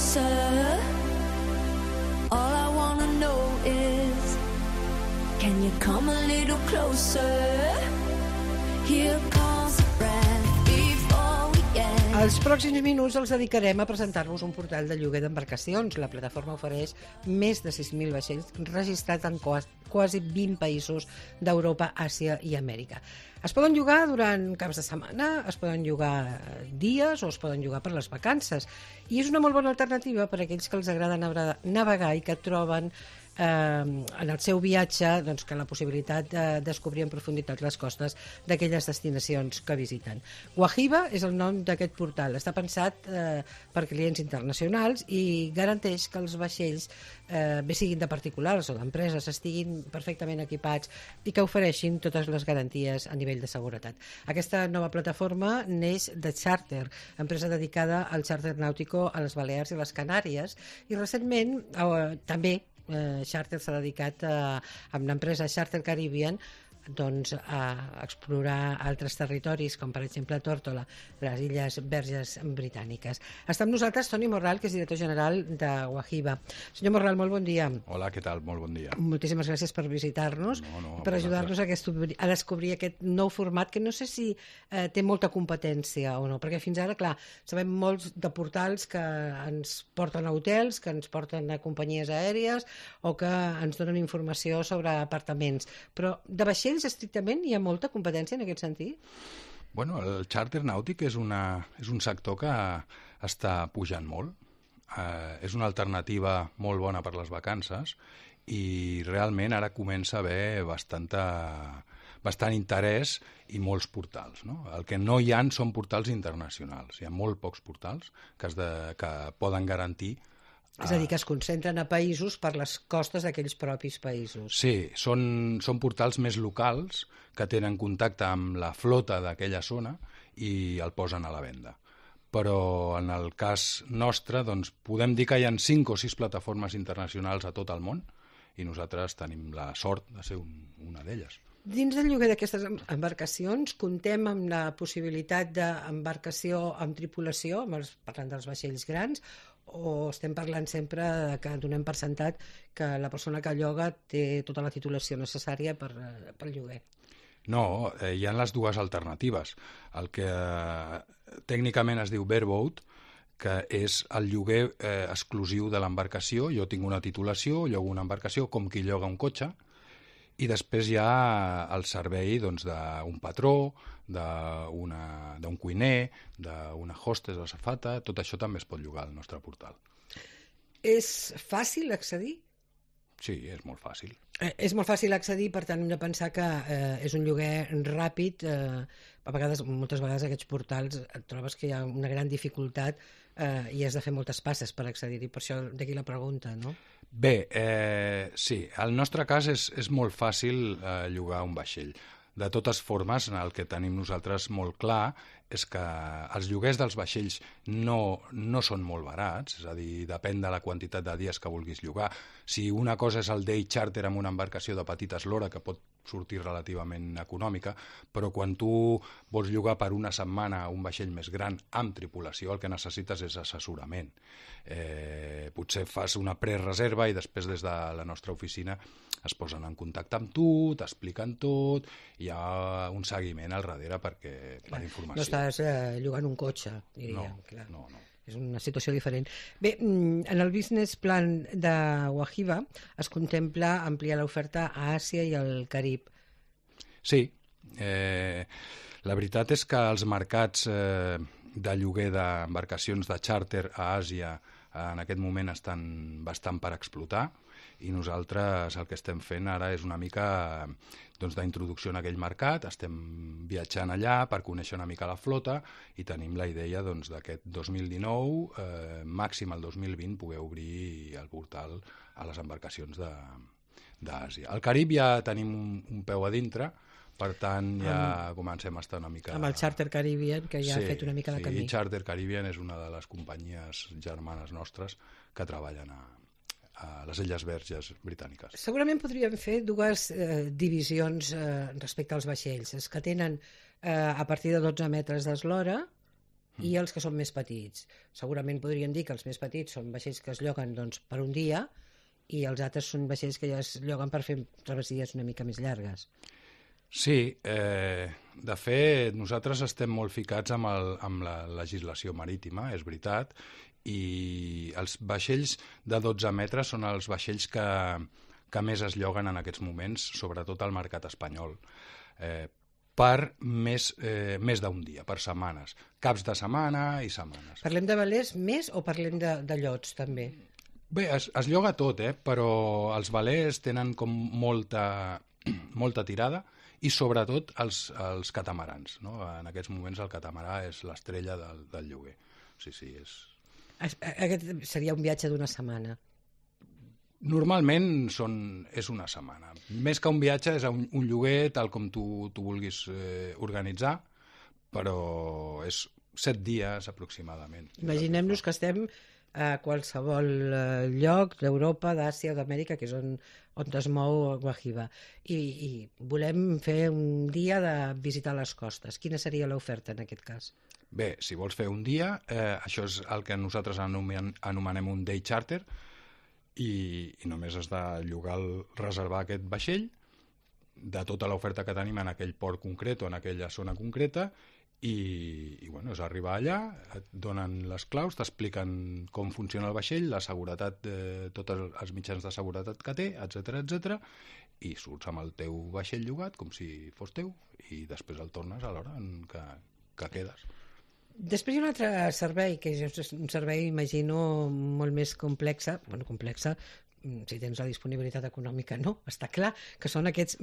closer. All I wanna know is, can you come a little closer? Here comes the breath before we end. Els pròxims minuts els dedicarem a presentar-vos un portal de lloguer d'embarcacions. La plataforma ofereix més de 6.000 vaixells registrats en quasi 20 països d'Europa, Àsia i Amèrica. Es poden llogar durant caps de setmana, es poden llogar dies o es poden llogar per les vacances. I és una molt bona alternativa per a aquells que els agrada navegar i que troben en el seu viatge doncs, que la possibilitat de descobrir en profunditat les costes d'aquelles destinacions que visiten. Guahiba és el nom d'aquest portal. Està pensat per clients internacionals i garanteix que els vaixells, bé siguin de particulars o d'empreses, estiguin perfectament equipats i que ofereixin totes les garanties a nivell de seguretat. Aquesta nova plataforma neix de Charter, empresa dedicada al xàrter nàutico a les Balears i les Canàries, i recentment també Charter s'ha dedicat amb l'empresa Charter Caribbean doncs, a explorar altres territoris, com per exemple Tórtola, les Illes Verges Britàniques. Està amb nosaltres Toni Morral, que és director general de Guahiba. Senyor Morral, molt bon dia. Hola, què tal? Molt bon dia. Moltíssimes gràcies per visitar-nos, per ajudar-nos a descobrir aquest nou format, que no sé si té molta competència o no, perquè fins ara, clar, sabem molts de portals que ens porten a hotels, que ens porten a companyies aèries o que ens donen informació sobre apartaments, però de vaixells estrictament hi ha molta competència en aquest sentit? Bueno, el xàrter nàutic és un sector que està pujant molt. És una alternativa molt bona per les vacances i realment ara comença a haver bastant interès i molts portals. No? El que no hi ha són portals internacionals. Hi ha molt pocs portals que poden garantir. És a dir, que es concentren a països per les costes d'aquells propis països. Sí, són portals més locals que tenen contacte amb la flota d'aquella zona i el posen a la venda. Però en el cas nostre doncs, podem dir que hi ha 5 o 6 plataformes internacionals a tot el món i nosaltres tenim la sort de ser una d'elles. Dins del lloguer d'aquestes embarcacions contem amb la possibilitat d'embarcació amb tripulació, parlant dels vaixells grans, o estem parlant sempre que donem per sentat que la persona que lloga té tota la titulació necessària pel lloguer? No, hi ha les dues alternatives. El que tècnicament es diu bareboat, que és el lloguer exclusiu de l'embarcació. Jo tinc una titulació, llogo una embarcació com qui lloga un cotxe, i després hi ha el servei doncs, d'un patró, d'un cuiner, d'una hostess o azafata. Tot això també es pot llogar al nostre portal. És fàcil accedir? Sí, és molt fàcil. És molt fàcil accedir, per tant hem de pensar que és un lloguer ràpid. Moltes vegades aquests portals et trobes que hi ha una gran dificultat i has de fer moltes passes per accedir-hi, per això d'aquí la pregunta, no? Bé, sí, el nostre cas és molt fàcil llogar un vaixell. De totes formes, el que tenim nosaltres molt clar és que els lloguers dels vaixells no són molt barats, és a dir, depèn de la quantitat de dies que vulguis llogar. Si una cosa és el day charter amb una embarcació de petita eslora, que pot sortir relativament econòmica, però quan tu vols llogar per una setmana un vaixell més gran amb tripulació, el que necessites és assessorament. Potser fas una prereserva i després des de la nostra oficina es posen en contacte amb tu, t'expliquen tot, hi ha un seguiment al darrere per informació. No estàs llogant un cotxe, diria. No. És una situació diferent. Bé, en el business plan de Guahiba es contempla ampliar l'oferta a Àsia i al Carib. Sí. La veritat és que els mercats de lloguer d'embarcacions de xàrter a Àsia en aquest moment estan bastant per explotar i nosaltres el que estem fent ara és una mica d'introducció en aquell mercat. Estem viatjant allà per conèixer una mica la flota i tenim la idea d'aquest 2019, màxim el 2020, poder obrir el portal a les embarcacions d'Àsia. Al Carib ja tenim un peu a dintre, per tant ja comencem a estar una mica... Amb el Charter Caribbean, que ja ha fet una mica de camí. Sí, Charter Caribbean és una de les companyies germanes nostres que treballen a les Illes Verges Britàniques. Segurament podríem fer dues divisions respecte als vaixells. Els que tenen a partir de 12 metres d'eslora i els que són més petits. Segurament podríem dir que els més petits són vaixells que es lloguen doncs, per un dia i els altres són vaixells que ja es lloguen per fer travessies una mica més llargues. Sí, de fet, nosaltres estem molt ficats amb la legislació marítima, és veritat, i els vaixells de 12 metres són els vaixells que més es lloguen en aquests moments, sobretot al mercat espanyol, per més d'un dia, per setmanes, caps de setmana i setmanes. Parlem de velers més o parlem de llots, també? Bé, es lloga tot, però els velers tenen com molta tirada, i sobretot els catamarans, no? En aquests moments el catamarà és l'estrella del lloguer. Sí, és... Aquest seria un viatge d'una setmana. Normalment és una setmana. Més que un viatge és un lloguer tal com tu vulguis organitzar, però és 7 dies aproximadament. Imaginem-nos que estem a qualsevol lloc d'Europa, d'Àsia, d'Amèrica, que és on es mou Guajiba. I volem fer un dia de visitar les costes. Quina seria l'oferta en aquest cas? Bé, si vols fer un dia, això és el que nosaltres anomenem un day charter, i només has de reservar aquest vaixell de tota l'oferta que tenim en aquell port concret o en aquella zona concreta, i bueno, és arribar allà, et donen les claus, t'expliquen com funciona el vaixell, la seguretat, tots els mitjans de seguretat que té, etc, i surts amb el teu vaixell llogat com si fos teu, i després el tornes a l'hora en que quedes. Després hi ha un altre servei, que és un servei, imagino, molt més complexa, si tens la disponibilitat econòmica, no, està clar, que són aquests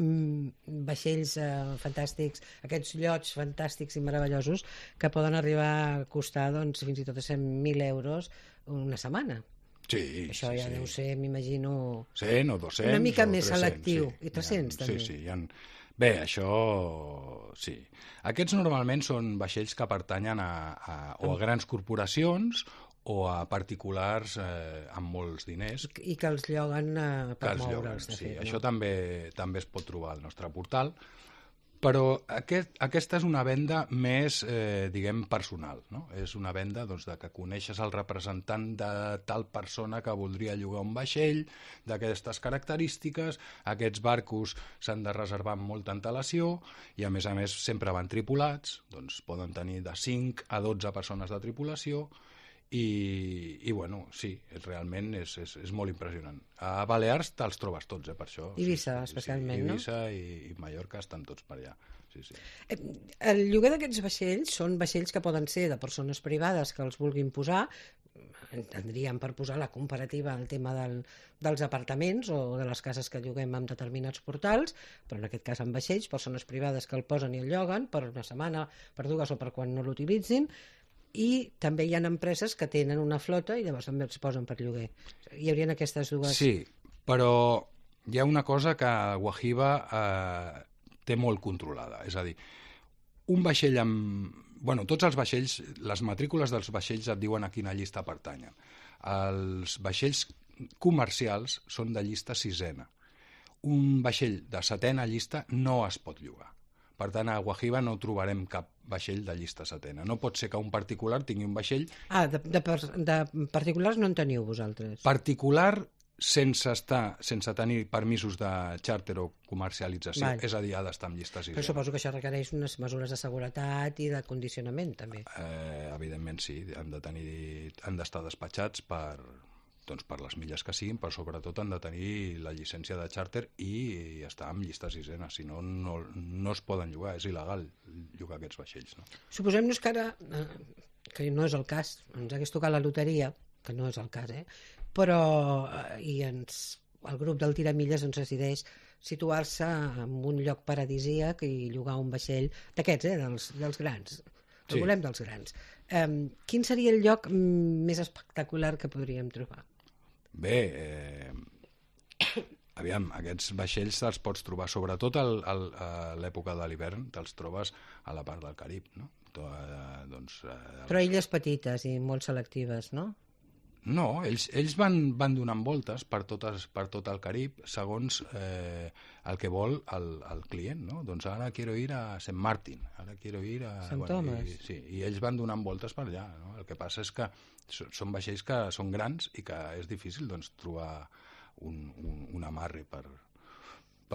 vaixells fantàstics, aquests llots fantàstics i meravellosos que poden arribar a costar doncs, fins i tot 100.000 euros una setmana. Sí, això ja deu ser, m'imagino... 100 o 200 una mica més 300, selectiu, sí. I 300 també. Sí, bé, això sí. Aquests normalment són vaixells que pertanyen o a grans corporacions o a particulars amb molts diners. I que els lloguen per moure'ls, de fet. Sí, això també es pot trobar al nostre portal, però aquesta és una venda més, diguem, personal, no? És una venda doncs, de que coneixes el representant de tal persona que voldria llogar un vaixell, d'aquestes característiques, aquests barcos s'han de reservar amb molta antelació i a més sempre van tripulats, doncs poden tenir de 5 a 12 persones de tripulació, i bueno, sí, realment és molt impressionant. A Balears te'ls trobes tots, per això. Eivissa, especialment, no? Eivissa i Mallorca estan tots per allà. Sí. El lloguer d'aquests vaixells són vaixells que poden ser de persones privades que els vulguin posar, entendríem per posar la comparativa al tema dels apartaments o de les cases que lloguem amb determinats portals, però en aquest cas amb vaixells, persones privades que el posen i el lloguen per una setmana, per 2 o per quan no l'utilitzin, i també hi ha empreses que tenen una flota i llavors també els posen per lloguer. Hi haurien aquestes dues... Sí, però hi ha una cosa que Guajiba té molt controlada, és a dir, un vaixell amb... Bueno, tots els vaixells, les matrícules dels vaixells et diuen a quina llista pertanyen. Els vaixells comercials són de llista 6ena. Un vaixell de 7ena llista no es pot llogar. Per tant, a Guajiba no trobarem cap vaixell de llista 7ena. No pot ser que un particular tingui un vaixell... De particulars no en teniu vosaltres? Particular sense tenir permisos de xàrter o comercialització, és a dir, ha d'estar en llista 6ena. Però suposo que això requereix unes mesures de seguretat i de condicionament, també. Evidentment, sí. Han d'estar despatxats per les milles que siguin, però sobretot han de tenir la llicència de xàrter i estar en llista 6ena, si no, no es poden llogar, és il·legal llogar aquests vaixells. No? Suposem-nos que ara, que no és el cas, ens hagués tocat la loteria, que no és el cas, però el grup del Tiramilles ens decideix situar-se en un lloc paradisíac i llogar un vaixell d'aquests, dels grans. El volem dels grans. Quin seria el lloc més espectacular que podríem trobar? Bé, aviam, aquests vaixells te'ls pots trobar, sobretot a l'època de l'hivern, te'ls trobes a la part del Carib, no? Però illes petites i molt selectives, no? No, ells van donant voltes per tot el Carib segons el que vol el client, no? Doncs ara quiero ir a St. Martin, ara quiero ir a... Sant Thomas. Sí, i ells van donant voltes per allà, no? El que passa és que són vaixells que són grans i que és difícil doncs, trobar un amarre per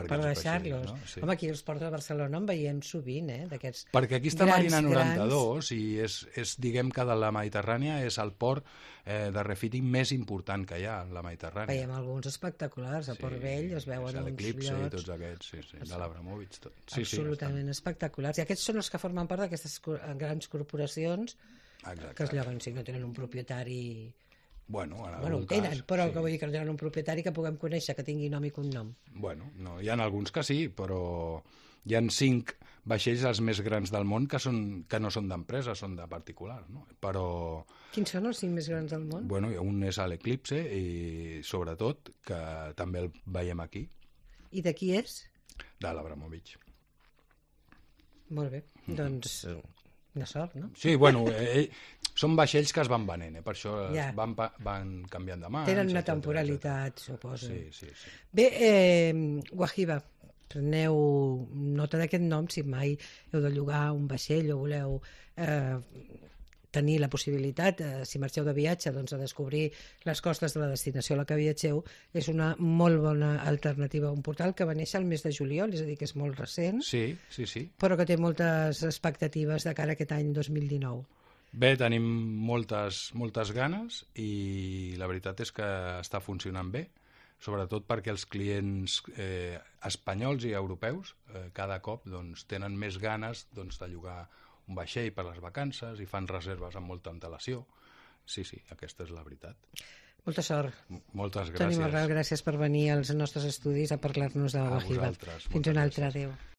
deixar-los. No? Sí. Home, aquí els ports de Barcelona en veiem sovint, d'aquests perquè aquí està Marina 92 i és, diguem que de la Mediterrània és el port de refitting més important que hi ha en la Mediterrània. Veiem alguns espectaculars, a Port Vell es veuen uns l'Eclipse llocs... i tots aquests, sí, de l'Abramovich. Absolutament espectaculars. I aquests són els que formen part d'aquestes grans corporacions que es lloguen, si no tenen un propietari... Bueno, ho tenen, però que vull dir que no tenen un propietari que puguem conèixer, que tingui nom i cognom. Bueno, no, hi ha alguns que sí, però hi ha 5 vaixells els més grans del món que no són d'empresa, són de particulars, no? Però... Quins són els 5 més grans del món? Bueno, un és l'Eclipse i, sobretot, que també el veiem aquí. I de qui és? De l'Abramovich. Molt bé, doncs... de sort, no? Sí, bueno, són vaixells que es van venent, per això van canviant de mans. Tenen una temporalitat, suposo. Sí. Bé, Wahiba, preneu nota d'aquest nom si mai heu de llogar un vaixell o voleu tenir la possibilitat, si marxeu de viatge, doncs, de descobrir les costes de la destinació a la que viatgeu. És una molt bona alternativa a un portal que va néixer el mes de juliol, és a dir, que és molt recent, sí. però que té moltes expectatives de cara a aquest any 2019. Bé, tenim moltes ganes i la veritat és que està funcionant bé, sobretot perquè els clients espanyols i europeus cada cop doncs, tenen més ganes doncs, de llogar un vaixell per les vacances i fan reserves amb molta antelació. Sí, aquesta és la veritat. Molta sort. Moltes gràcies. Toni Morral, gràcies per venir als nostres estudis a parlar-nos de la Wahiba. Fins un altre, adéu.